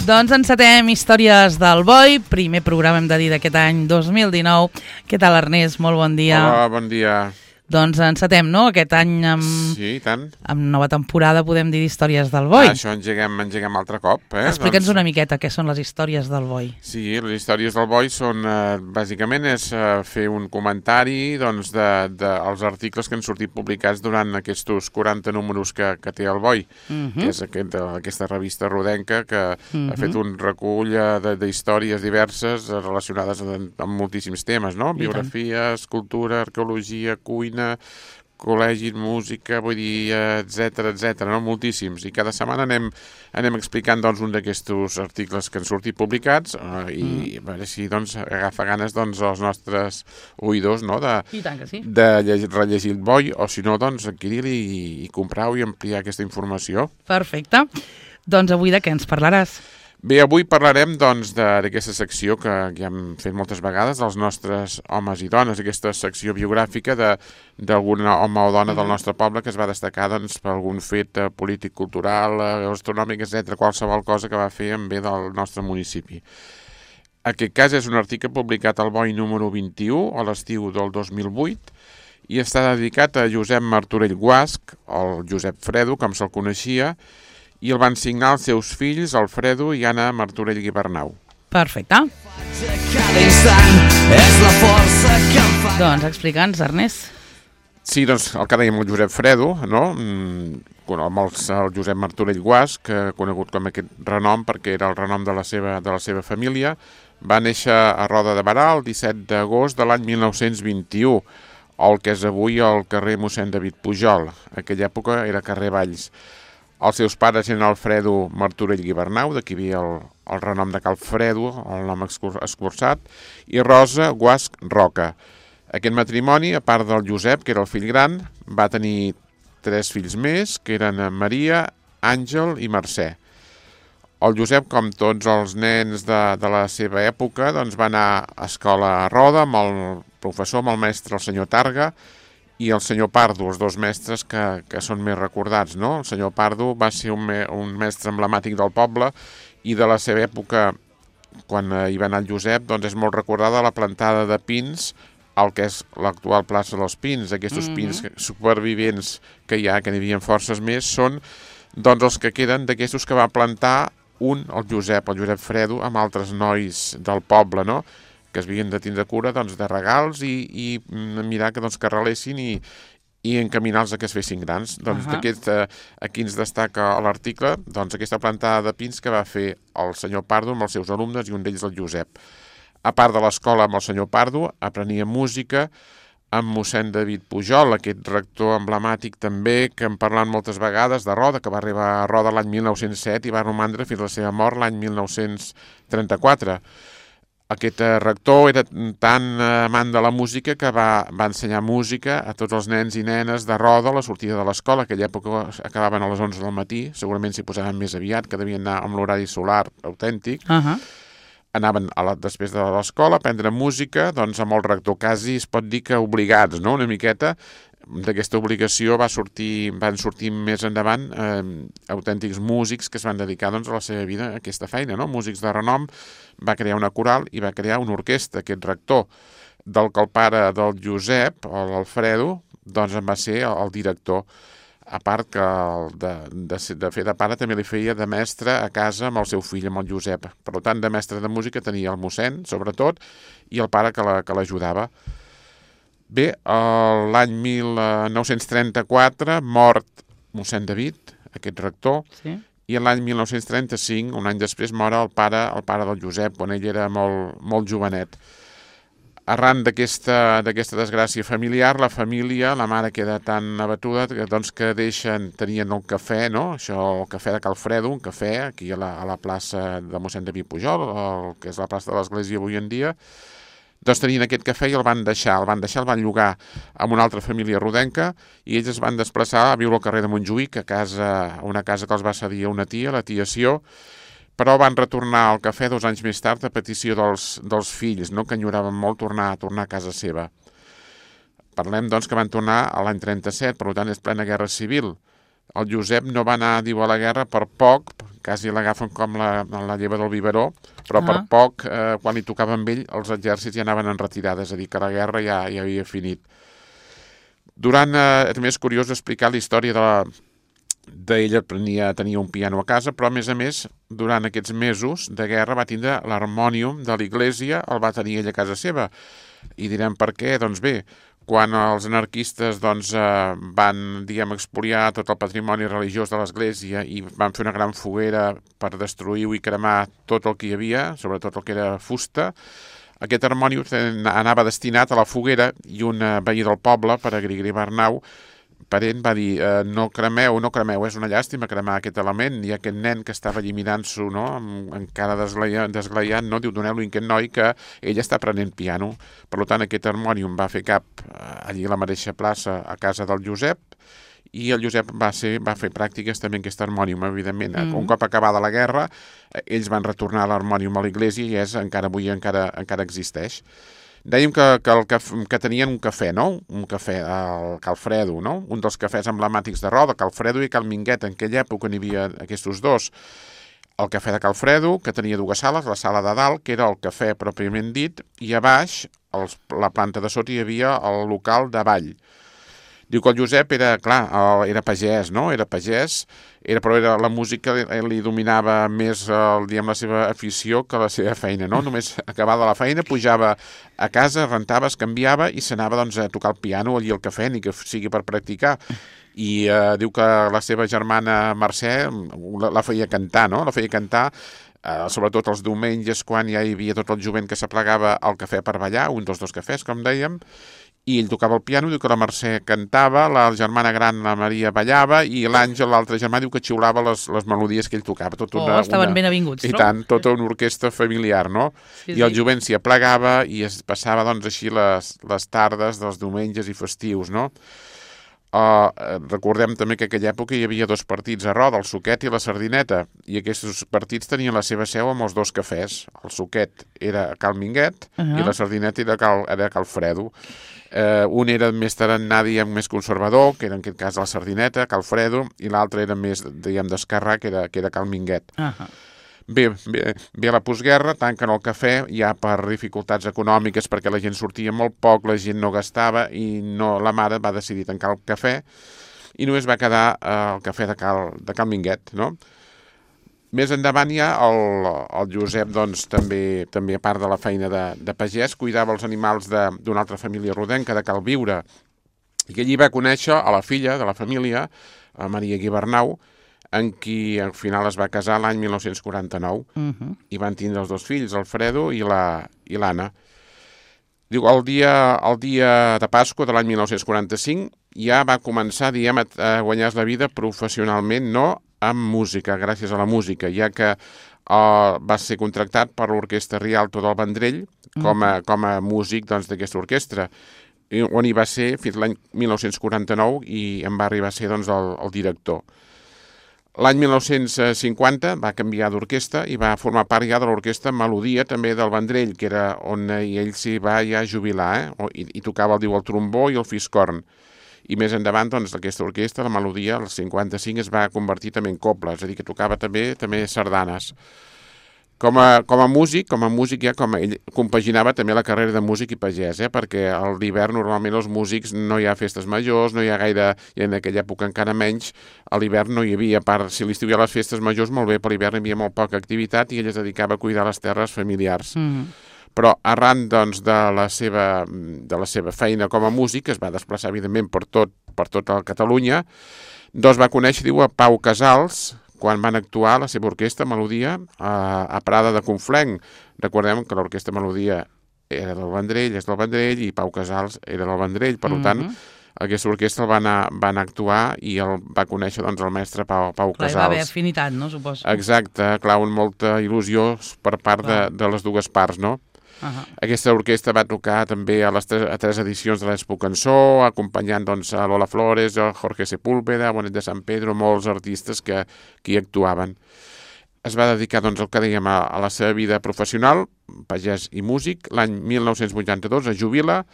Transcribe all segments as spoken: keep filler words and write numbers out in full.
Doncs encetem Històries del Boi, primer programa hem de dir d'aquest any dos mil dinou. Què tal, Ernest? Molt bon dia. Hola, bon dia. Doncs encetem, no?, aquest any amb, sí, i tant. amb nova temporada, podem dir, d'Històries del Boi. Ah, això engeguem, engeguem altre cop. Eh? Explica'ns doncs... una miqueta què són les històries del Boi. Sí, les històries del Boi són, eh, bàsicament, és eh, fer un comentari doncs, de, de, els articles que han sortit publicats durant aquests quaranta números que, que té el Boi, uh -huh. que és aquest, aquesta revista rodenca que uh -huh. ha fet un recull d'històries diverses relacionades amb, amb moltíssims temes, no? Biografia, escultura, arqueologia, cuina, col·legis, música, vull dir, etcètera, etcètera, no? Moltíssims. I cada setmana anem, anem explicant doncs, un d'aquests articles que han sortit publicats eh, i mm. a veure si doncs, agafa ganes doncs, els nostres oïdors, no? de, I tant que sí. de llegir, rellegir el Boi, o si no, doncs, adquirir-li i, i comprar-ho i ampliar aquesta informació. Perfecte. Doncs avui de què ens parlaràs? Bé, avui parlarem doncs, d'aquesta secció que ja hem fet moltes vegades, dels nostres homes i dones, aquesta secció biogràfica d'algun home o dona del nostre poble que es va destacar doncs, per algun fet eh, polític, cultural, eh, gastronòmic, etcètera, qualsevol cosa que va fer en bé del nostre municipi. Aquest cas és un article publicat al Boi número vint-i-u, a l'estiu del dos mil vuit, i està dedicat a Josep Martorell Guasch, el Josep Fredo, com se'l coneixia, i el van signar els seus fills, Alfredo i Anna Martorell Guibernau. Perfecte. Doncs explica'ns, Ernest. Sí, doncs el que dèiem el Josep Fredo, no? Amb el, el Josep Martorell Guasch, que conegut com aquest renom perquè era el renom de la seva, de la seva família, va néixer a Roda de Berà el disset d'agost de l'any mil nou-cents vint-i-u, el que és avui el carrer Mossèn David Pujol. En aquella època era carrer Valls. Els seus pares eren Alfredo Martorell Guibernau, d'aquí havia el, el renom de Calfredo, el nom escurçat, i Rosa Guasch Roca. Aquest matrimoni, a part del Josep, que era el fill gran, va tenir tres fills més, que eren Maria, Àngel i Mercè. El Josep, com tots els nens de, de la seva època, doncs va anar a escola a Roda amb el professor, amb el mestre, el senyor Targa, i el senyor Pardo, els dos mestres que, que són més recordats, no? El senyor Pardo va ser un, me, un mestre emblemàtic del poble i de la seva època, quan hi va anar el Josep, doncs és molt recordada la plantada de pins al que és l'actual plaça dels Pins. Aquests mm-hmm. pins supervivents que hi ha, que n'hi havia forces més, són doncs els que queden d'aquestos que va plantar un, el Josep, el Josep Fredo, amb altres nois del poble, no?, que es havien de tindre cura doncs, de regals i, i mirar que, doncs, que relessin i, i encaminar-los a que es fessin grans. Doncs uh -huh. d'aquest, eh, aquí ens destaca l'article doncs, aquesta plantada de pins que va fer el senyor Pardo amb els seus alumnes i un d'ells el Josep. A part de l'escola amb el senyor Pardo, aprenia música amb mossèn David Pujol, aquest rector emblemàtic també que hem parlat moltes vegades de Roda, que va arribar a Roda l'any mil nou-cents set i va romandre fins a la seva mort l'any mil nou-cents trenta-quatre. Aquest rector era tan amant de la música que va, va ensenyar música a tots els nens i nenes de Roda a la sortida de l'escola. Aquella època acabaven a les onze del matí, segurament s'hi posaven més aviat, que devien anar amb l'horari solar autèntic. Uh -huh. Anaven a la, després de l'escola a aprendre música, doncs amb el rector quasi es pot dir que obligats, no?, una miqueta. D'aquesta obligació va sortir, van sortir més endavant eh, autèntics músics que es van dedicar doncs, a la seva vida a aquesta feina, no? Músics de renom. Va crear una coral i va crear una orquestra, aquest rector, del que el pare del Josep, l'Alfredo, doncs en va ser el director. A part que el de, de, de fer de pare també li feia de mestre a casa amb el seu fill, amb el Josep. Per tant, de mestre de música tenia el mossèn, sobretot, i el pare que l'ajudava. La, Bé, l'any mil nou-cents trenta-quatre, mort mossèn David, aquest rector, sí. I l'any mil nou-cents trenta-cinc, un any després, mor el pare, el pare del Josep, quan ell era molt, molt jovenet. Arran d'aquesta d'aquesta desgràcia familiar, la família, la mare queda tan abatuda que, doncs, que deixen, tenien el cafè, no? Això, el cafè de Calfredo, un cafè, aquí a la, a la plaça de mossèn David Pujol, el, que és la plaça de l'església avui en dia. Doncs tenien aquest cafè i el van deixar, el van deixar, el van llogar amb una altra família rodenca i ells es van desplaçar a viure al carrer de Montjuïc, a casa, una casa que els va cedir a una tia, la tia Sió, però van retornar al cafè dos anys més tard a petició dels, dels fills, no?, que enyoraven molt tornar, tornar a casa seva. Parlem, doncs, que van tornar a l'any trenta-set, per tant és plena guerra civil. El Josep no va anar, diu, a la guerra per poc, quasi l'agafen com la, la lleva del biberó, però Ah. per poc, eh, quan li tocava amb ell, els exèrcits ja anaven en retirada, és a dir, que la guerra ja, ja havia finit. Durant, eh, també és curiós explicar la història de la d'ella tenia, tenia un piano a casa, però a més a més, durant aquests mesos de guerra va tindre l'harmònium de l'església, el va tenir ella a casa seva. I direm per què? Doncs bé, quan els anarquistes doncs, eh, van, diguem, expoliar tot el patrimoni religiós de l'església i van fer una gran foguera per destruir i cremar tot el que hi havia, sobretot el que era fusta, aquest harmònium anava destinat a la foguera i un veí del poble, per a Grigri Barnau, parent, va dir, eh, no cremeu, no cremeu, és una llàstima cremar aquest element, i aquest nen que estava allí mirant-s'ho, no?, encara desglaiant, desglaiant, no?, diu, doneu-li a aquest noi que ell està aprenent piano. Per tant, aquest harmònium va fer cap eh, allí a la mateixa plaça, a casa del Josep, i el Josep va, ser, va fer pràctiques també en aquest harmònium, evidentment. Mm. Un cop acabada la guerra, ells van retornar l'harmònium a l'església i és, encara avui encara, encara existeix. Dèiem que, que, el, que, que tenien un cafè, no? Un cafè, el Calfredo, no? Un dels cafès emblemàtics de Roda, Calfredo i Cal Minguet. En aquella època n'hi havia aquests dos. El cafè de Calfredo, que tenia dues sales, la sala de dalt, que era el cafè pròpiament dit, i a baix, els, la planta de sota, hi havia el local de ball. Diu que el Josep era, clar, era pagès, no? Era pagès, era, però era, la música li, li dominava més el, diguem, la seva afició que la seva feina, no? Només acabada la feina, pujava a casa, rentava, es canviava i s'anava doncs, a tocar el piano allí al cafè, ni que sigui per practicar. I eh, diu que la seva germana Mercè la, la feia cantar, no? La feia cantar, eh, sobretot els diumenges, quan ja hi havia tot el jovent que s'aplegava al cafè per ballar, un dels dos cafès, com dèiem, i ell tocava el piano, diu que la Mercè cantava, la germana gran, la Maria, ballava, i l'Àngel, l'altre germà, diu que xiulava les, les melodies que ell tocava. Tot una, oh, estaven una... ben avinguts, I no? tant, tota una orquestra familiar, no? Sí, I el sí. jovent s'hi aplegava i es passava, doncs, així les, les tardes dels diumenges i festius, no? Uh, recordem també que en aquella època hi havia dos partits a Roda, el Suquet i la Sardineta, i aquests partits tenien la seva seu amb els dos cafès. El Suquet era a Cal Minguet uh -huh. i la Sardineta era a Cal, era a Cal Fredo. Uh, un era més tarannà, diguem, més conservador, que era en aquest cas la Sardineta, Cal Fredo, i l'altre era més, diguem, d'esquerrà, que era, que era Cal Minguet. Uh -huh. Bé, bé, bé, la postguerra, tanquen el cafè ja per dificultats econòmiques, perquè la gent sortia molt poc, la gent no gastava i no, la mare va decidir tancar el cafè i només va quedar eh, el cafè de Cal, de Cal Minguet, no? Més endavant ja el, el Josep, doncs, també, també a part de la feina de, de pagès, cuidava els animals d'una altra família rodenca, de Cal Viure, i allí va conèixer a la filla de la família, a Maria Guibernau, en qui al final es va casar l'any mil nou-cents quaranta-nou uh -huh. i van tindre els dos fills, el Fredo i la i l'Anna. Diu, el dia, el dia de Pasqua de l'any mil nou-cents quaranta-cinc ja va començar, diguem, a guanyar la vida professionalment, no amb música, gràcies a la música, ja que uh, va ser contractat per l'Orquestra Rialto del Vendrell com a, com a músic doncs, d'aquesta orquestra, on hi va ser fins l'any mil nou-cents quaranta-nou i en va arribar a ser doncs, el, el director. L'any mil nou-cents cinquanta va canviar d'orquestra i va formar part ja de l'orquestra Melodia, també del Vendrell, que era on ell s'hi va ja jubilar, eh? I, i tocava, el diu, el trombó i el fiscorn. I més endavant, doncs, aquesta orquestra, la Melodia, el cinquanta-cinc, es va convertir també en coble, és a dir, que tocava també també sardanes. Com a, com a músic, com a músic ja com a, ell compaginava també la carrera de músic i pagès, eh? Perquè a l'hivern normalment els músics no hi ha festes majors, no hi ha gaire, i en aquella època encara menys, a l'hivern no hi havia, a part, si l'estiu hi ha les festes majors, molt bé, per l'hivern hi havia molt poca activitat i ell es dedicava a cuidar les terres familiars. Mm-hmm. Però arran, doncs, de la seva, de la seva feina com a músic, es va desplaçar, evidentment, per tot, per tota Catalunya, doncs va conèixer, diu, a Pau Casals, quan van actuar la seva orquestra Melodia a, a Prada de Conflent. Recordem que l'orquestra Melodia era del Vendrell, és del Vendrell, i Pau Casals era del Vendrell, per mm-hmm. tant, aquesta orquestra el va anar, va anar a actuar i el va conèixer, doncs, el mestre Pau, Pau clar, Casals. Clar, va haver afinitat, no, suposo? Exacte, clar, amb molta il·lusió per part de, de les dues parts, no? Uh -huh. Aquesta orquestra va tocar també a les tres, a tres edicions de l'Expo Cançó, acompanyant, doncs, a Lola Flores, a Jorge Sepúlveda, a Bonet de San Pedro, molts artistes que, que hi actuaven. Es va dedicar, doncs, el que dèiem, a, a la seva vida professional, pagès i músic. L'any mil nou-cents vuitanta-dos es jubila,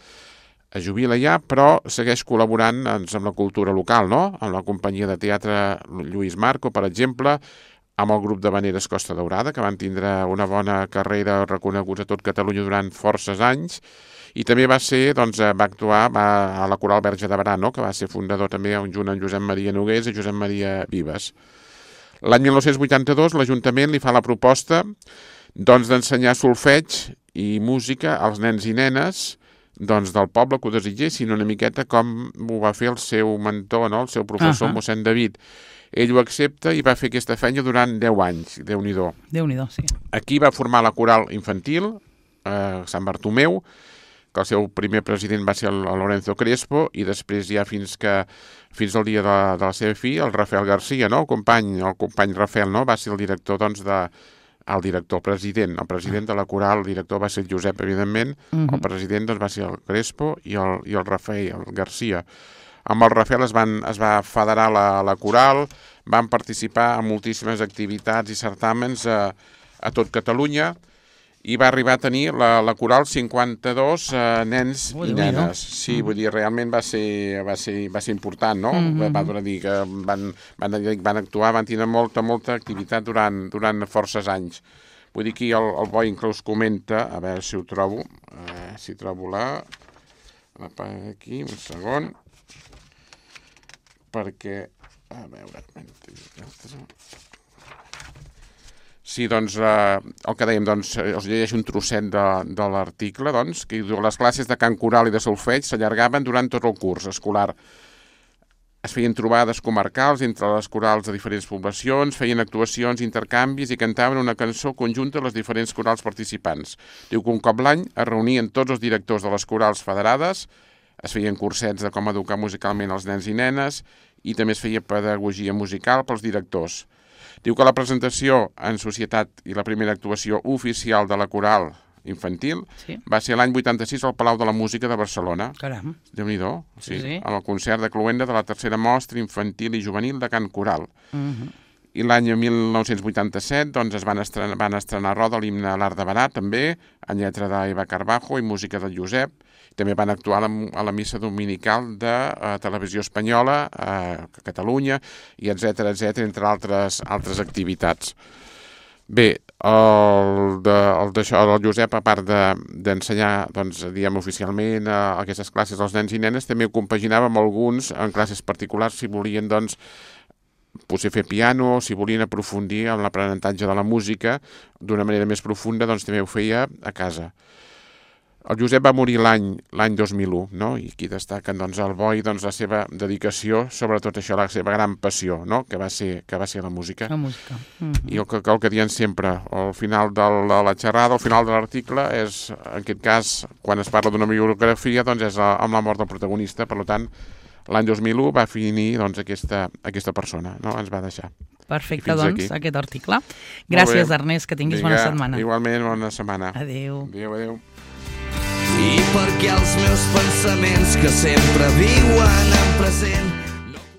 es jubila ja, però segueix col·laborant, doncs, amb la cultura local, no? Amb la companyia de teatre Lluís Marco, per exemple, amb el grup de Vaneres Costa Daurada, que van tindre una bona carrera reconeguts a tot Catalunya durant forces anys, i també va ser, doncs, va actuar va, a la Coral Verge de Berà, no? Que va ser fundador també junt amb Josep Maria Nogués i Josep Maria Vives. L'any mil nou-cents vuitanta-dos l'Ajuntament li fa la proposta doncs, d'ensenyar solfeig i música als nens i nenes doncs, del poble que ho desitgessin, una miqueta com ho va fer el seu mentor, no? El seu professor, uh-huh. mossèn David. Ell ho accepta i va fer aquesta feina durant deu anys, Déu-n'hi-do. Déu-n'hi-do, sí. Aquí va formar la coral infantil, a Sant Bartomeu, que el seu primer president va ser el Lorenzo Crespo, i després ja fins que fins al dia de, de la seva fi, el Rafael García, no? el company el company Rafael, no? va ser el director doncs, de, el director, el president, el president de la coral, el director va ser el Josep, evidentment, uh-huh. el president doncs, va ser el Crespo i el, i el Rafael el García. Amb el Rafael es, van, es va federar la, la coral, van participar en moltíssimes activitats i certàmens a, a tot Catalunya, i va arribar a tenir la, la coral cinquanta-dos eh, nens Ui, i nenes. Sí, vull dir, realment va ser, va ser, va ser important, no? Mm-hmm. Va, va dir que van, van, van actuar, van tenir molta, molta activitat durant, durant forces anys. Vull dir que el, el Boi inclús comenta, a veure si ho trobo, eh, si trobo la... la aquí, un segon, perquè... A veure... Sí, doncs, eh, el que dèiem, doncs, us llegeixo un trosset de, de l'article, doncs, que diu, les classes de cant coral i de solfeig s'allargaven durant tot el curs escolar. Es feien trobades comarcals entre les corals de diferents poblacions, feien actuacions, intercanvis i cantaven una cançó conjunta a les diferents corals participants. Diu que un cop l'any es reunien tots els directors de les corals federades, es feien cursets de com educar musicalment els nens i nenes i també es feia pedagogia musical pels directors. Diu que la presentació en societat i la primera actuació oficial de la coral infantil sí. va ser l'any vuitanta-sis al Palau de la Música de Barcelona. Caram. Déu-n'hi-do. Sí, sí, sí. En el concert de cloenda de la tercera mostra infantil i juvenil de cant coral. Uh-huh. I l'any mil nou-cents vuitanta-set doncs, es van estrenar, van estrenar a Roda l'himne a l'Art de Berà, també, en lletra d'Eva Carbajo i música del Josep. També van actuar a la, a la missa dominical de uh, Televisió Espanyola, a uh, Catalunya, i etcètera, etcètera, entre altres, altres activitats. Bé, el, de, el, d'això, el Josep, a part d'ensenyar, de, doncs, diguem, oficialment a aquestes classes als nens i nenes, també ho compaginava amb alguns en classes particulars si volien, doncs, potser fer piano, si volien aprofundir en l'aprenentatge de la música d'una manera més profunda, doncs també ho feia a casa. El Josep va morir l'any l'any dos mil u, no? I aquí destaquen doncs, el Boi, doncs, la seva dedicació, sobretot això, la seva gran passió, no? que, va ser, que va ser la música. La música. Mm-hmm. I el que, el que diem sempre, al final de la, la xerrada, al final de l'article, és, en aquest cas, quan es parla d'una biografia, doncs és amb la mort del protagonista, per tant, l'any dos mil u va finir doncs, aquesta, aquesta persona, no? Ens va deixar. Perfecte, doncs, aquí. Aquest article. Gràcies, Ernest, que tinguis Vinga, bona setmana. Igualment, bona setmana. Adéu. Adéu, adéu. I perquè els meus pensaments que sempre viuen en present